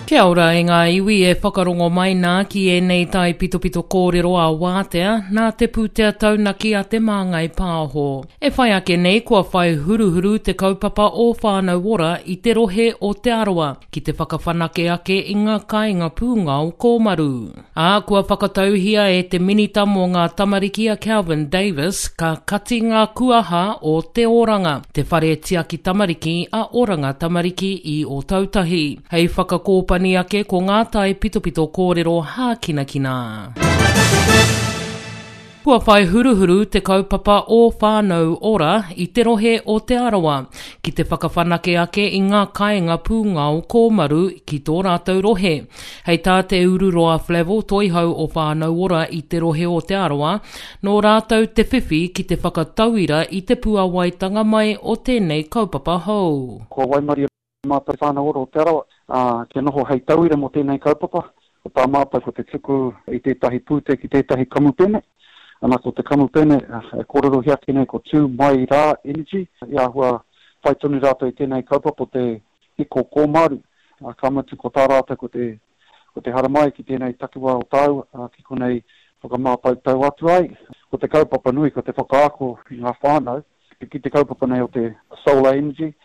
Kia ora e ngā iwi e whakarongo mai nā ki ēnei taipitopito kōrero a Wātea nā te pūtea taunaki a Te Māngai Pāho. E whai ake nei kua whai huruhuru te kaupapa o Whānau Ora i te rohe o Te Arawa ki te whakawhanake ake i ngā kāinga pūngao kōmaru. Ā, kua whakatauhia e te Minita mō ngā Tamariki a Kelvin Davis ka kati ngā kuaha o Te Oranga, te whare tiaki tamariki a Oranga Tamariki i Ōtautahi, hei whakakōpani ake ko ngā taipitopito kōrero hākinakina. Kua whai huruhuru te kaupapa o Whānau Ora i te rohe o Te Arawa ki te whakawhanake ake i ngā kāinga pūngao kōmaru ki tō rātou rohe. Hei tā Te Ururoa Flavell, toihau o Whānau Ora i te rohe o Te Arawa, nō rātou te whiwhi ki te whakatauira i te puawaitanga mai o tēnei kaupapa hou. Kua waimarie Mātou Whānau Ora o Te Arawa, ā, kia noho hei tauira mō tēnei kaupapa. Ko tā mātou ko te tuku i tētahi pūtea ki tētahi kamupene. Ana, ko te kamupene e kōrerohia ake nei ko Tū Mai Rā Energy, i āhua whai tonu rātou i tēnei kaupapa o te hiko kōmaru, ā, ka mutu ko tā rātou ko te, ko te haramai ki tēnei takiwā o tāua, ā, ki konei whakamātautau atu ai. Ko te kaupapa nui ko te whakaako i ngā whānau ki te kaupapa nei o te solar energy.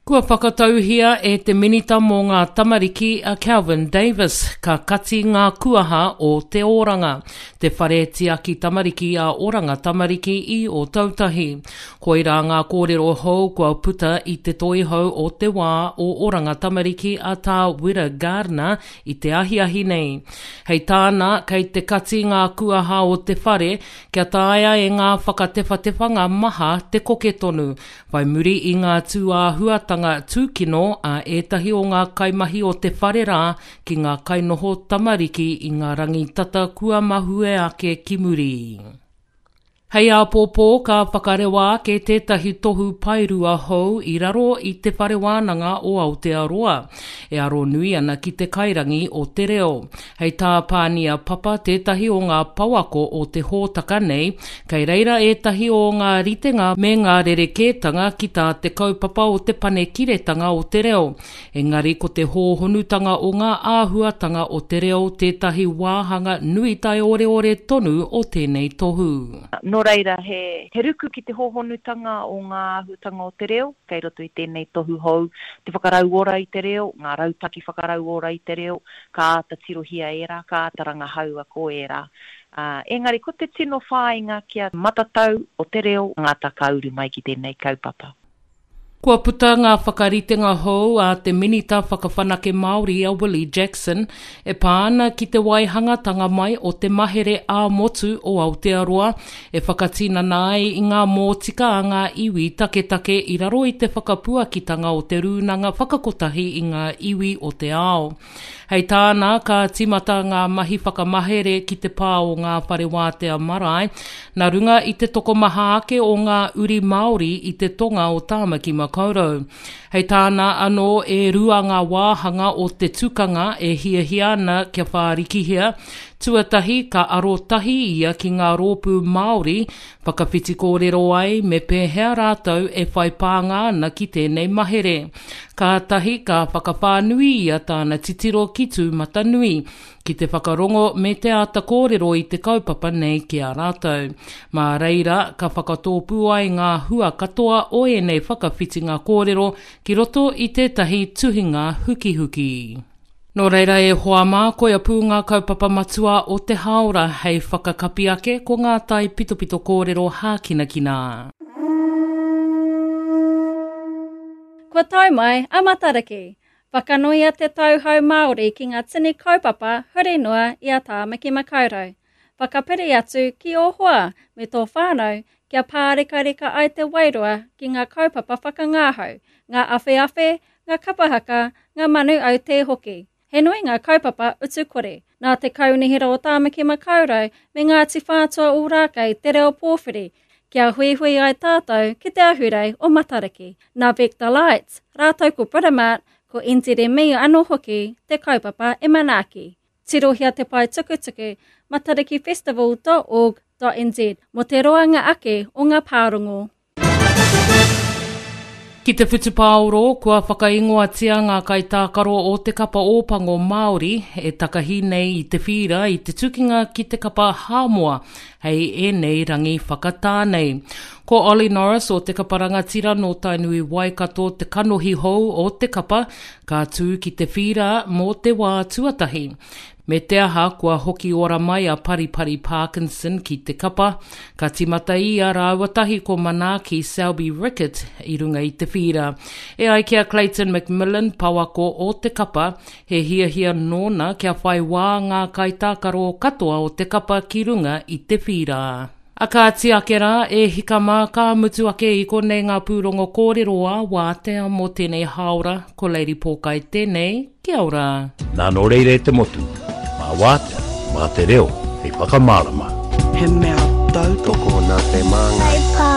Kua whakatauhia e te Minita mō ngā Tamariki a Kelvin Davis ka kati ngā kuaha o Te Oranga, te whare tiaki tamariki a Oranga Tamariki i Ōtautahi. Koirā ngā kōrero hou kua puta i te toihau o te wā o Oranga Tamariki a Tā Wira Gardiner i te ahiahi nei. Hei tāna, kei te kati ngā kuaha o te whare Kia taea e ngā whakatewhatewhanga maha te koke tonu, whai muri i ngā tūāhuatanga tūkino a ētahi o ngā kaimahi o te whare rā ki ngā kainoho tamariki i ngā rangi tata kua mahue ake ki muri. Hei āpōpō ka whakarewa ake tētahi tohu paerua hou i raro i Te Whare Wānanga o Aotearoa, e aro nui ana ki te kairangi o te reo. Hei tā Pānia Papa tētahi o ngā pouako o te hōtaka nei, kei reira ētahi o ngā ritenga me ngā rerekētanga ki tā te kaupapa o te panekiretanga o te reo, engari ko te hōhonutanga o ngā āhuatanga o te reo tētahi wāhanga nui taioreore tonu o tēnei tohu. Nō reira, he ruku ki te hōhonutanga o ngā āhuatanga o te reo kei roto i tēnei tohu hou, te whakarauora i te reo, ngā rautaki whakarauora i te reo, ka āta tirohia ērā, ka āta rangahaua ko ērā. Ā, engari ko te tino whāinga kia matatau o te reo ngata ka uru mai ki tēnei kaupapa. Kua puta ngā whakaritenga hou a te Minita Whakawhanake Māori a Willie Jackson e pā ana ki te waihangatanga mai o te mahere ā-motu o Aotearoa e whakatinana ai i ngā mōtika a ngā iwi taketake i raro i te whakapuakitanga o te Rūnanga Whakakotahi i ngā Iwi o te Ao. Hei tāna, ka tīmata ngā mahi whakamahere ki te pā o ngā whare wātea marae, nā runga i te tokomaha ake o ngā uri Māori i te tonga o Tāmaki Makaurau. Hei tāna anō, e rua ngā wāhanga o te tukanga e hiahia ana kia whārikihia, tuatahi ka arotahi ia ki ngā rōpū Māori Whakawhiti kōrero ai me pēhea rātou e whai pānga ana ki tēnei mahere. Kātahi ka whakawhānui ia tāna titiro ki Tūmatanui, ki te whakarongo me te āta kōrero i te kaupapa nei ki a rātou. Mā reira ka whakatōpū ai ngā hua katoa o ēnei whakawhitinga kōrero ki roto i tētahi tuhinga hukihuki. Nō reira e hoa mā, koia pū ngā kaupapa matua o te hāora hei whakakapi ake ko ngā taipitopito kōrero hākinakina. Kua tae mai a Matariki. Whakanuia te tau hou Māori ki ngā tini kaupapa huri noa i a Tāmaki Makaurau. Whakapiri atu ki ō hoa me tō whānau kia pārekareka ai te wairua ki ngā kaupapa whakangahau, ngā awheawhe, ngā kapa haka, ngā manu autē hoki. He nui ngā kaupapa utu kore. Nā te Kaunihera o Tāmaki Makaurau me Ngāti Whātua Ōrākei te reo pōwhiri kia huihui ai tātou ki te ahurei o Matariki. Nā Vector Lights, rātou ko Britomart, ko NZME anō hoki te kaupapa e manaaki. Tirohia te pae tukutuku matarikifestival.org.nz mō te roanga ake o ngā pārongo. Ki te whutupaoro, kua whakaingoatia ngā kaitākaro o te kapa Ōpango Māori e takahi nei i te whīra i te tukinga ki te kapa Hāmoa hei ēnei rangi whakatā nei. Ko Ollie Norris o te kapa rangatira nō Tainui Waikato te kanohi hou o te kapa ka tū ki te whīra mō te wā tuatahi. Me te aha, kua hoki ora mai a Paripari Parkinson ki te kapa, ka tīmata ia rāua tahi ko Manaaki Selby-Rickit i runga i te whīra. E ai ki a Clayton McMillan, pouako o te kapa, he hiahia nōna kia whai wā ngā kaitākaro katoa o te kapa ki runga i te whīra. A kāti ake rā, e hika mā, ka mutu ake i konei ngā pūrongo kōrero ā wātea mō tēnei hāora, ko Lady Pōkai tēnei, kia ora. Nā nō reira e te motu, mā wātea, mā te reo hei whakamārama. He mea tautoko. Tokona te māngai.